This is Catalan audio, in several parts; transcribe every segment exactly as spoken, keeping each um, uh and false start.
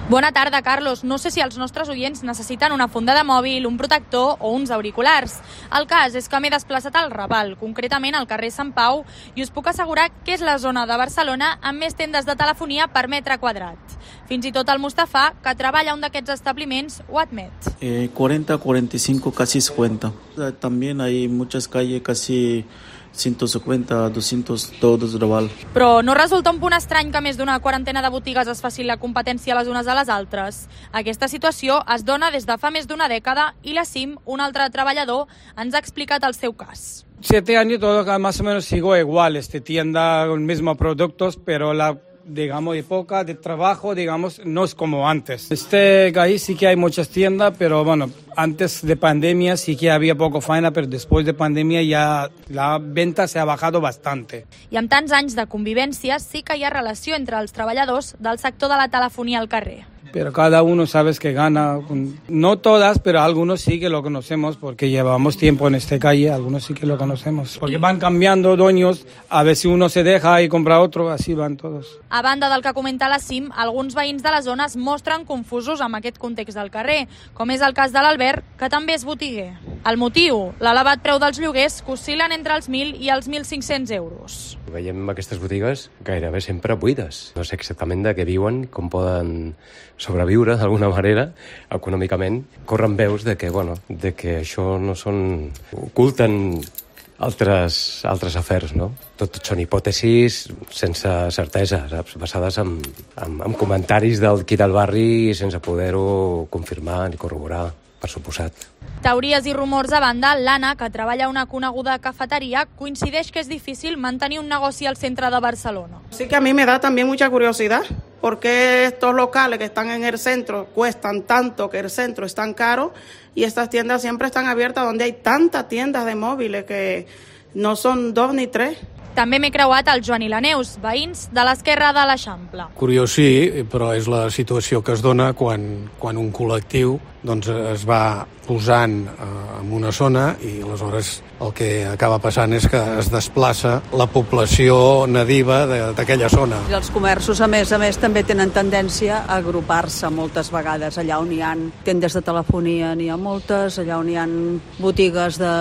Bona tarda, Carlos. No sé si els nostres oients necessiten una funda de mòbil, un protector o uns auriculars. El cas és que m'he desplaçat al Raval, concretament al carrer Sant Pau, i us puc assegurar que és la zona de Barcelona amb més tendes de telefonia per metre quadrat. Fins i tot el Mustafà, que treballa a un d'aquests establiments, ho admet. Eh, cuarenta, cuarenta y cinco, casi cincuenta. También hay muchas calles, casi ciento cincuenta, doscientos, todos Raval. Però no resulta un punt estrany que més d'una quarantena de botigues es facin la competència les unes a les altres? Aquesta situació es dona des de fa més d'una dècada i la C I M, un altre treballador, ens ha explicat el seu cas. Siete años todo más o menos sigo igual, este tienda con mismos productos, pero la digamos, época de trabajo, digamos, no es como antes. Este ahí sí que hay muchas tiendas, pero bueno, antes de pandemia sí que había poco faena, pero después de pandemia ya la venta se ha bajado bastante. I amb tants anys de convivència sí que hi ha relació entre els treballadors del sector de la telefonia al carrer. Pero cada uno sabes que gana, no todas, pero algunos sí que lo conocemos porque llevamos tiempo en esta calle, algunos sí que lo conocemos. Porque van cambiando dueños, a ver si uno se deja y compra otro, así van todos. A banda del que comenta la C I M, alguns veïns de la zona es mostren confusos amb aquest context del carrer, com és el cas de l'Albert, que també és botiguer. El motiu, l'elevat preu dels lloguers, que oscil·len entre els mil i els mil cinc-cents euros. Veiem aquestes botigues gairebé sempre buides. No sé exactament de què viuen, com poden sobreviure d'alguna manera econòmicament. Corren veus de que, bueno, de que això no són... oculten altres, altres afers, no? Tot són hipòtesis sense certesa, saps? Basades en, en, en comentaris del qui del barri sense poder-ho confirmar ni corroborar, per suposat. Teories i rumors a banda, l'Anna, que treballa a una coneguda cafeteria, coincideix que és difícil mantenir un negoci al centre de Barcelona. Sí que a mí me da también mucha curiosidad, porque estos locales que están en el centro cuestan tanto que el centro es tan caro y estas tiendas siempre están abiertas donde hay tantas tiendas de móviles que no son dos ni tres. També m'he creuat el Joan i la Neus, veïns de l'esquerra de l'Eixample. Curiós sí, però és la situació que es dona quan, quan un col·lectiu doncs, es va posant eh, en una zona i aleshores el que acaba passant és que es desplaça la població nadiva d'aquella zona. I els comerços, a més a més, també tenen tendència a agrupar-se moltes vegades. Allà on hi ha tendes de telefonia n'hi ha moltes, allà on hi ha botigues de,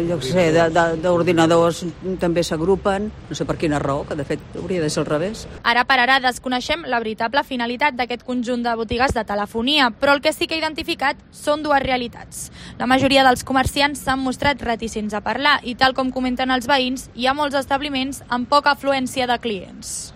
jo què sé, de, de, d'ordinadors també s'agrupen. No sé per quina raó, que de fet hauria de ser al revés. Ara per ara desconeixem la veritable finalitat d'aquest conjunt de botigues de telefonia, però el que sí que he identificat són dues realitats. La majoria dels comerciants s'han mostrat reticents a parlar i, tal com comenten els veïns, hi ha molts establiments amb poca afluència de clients.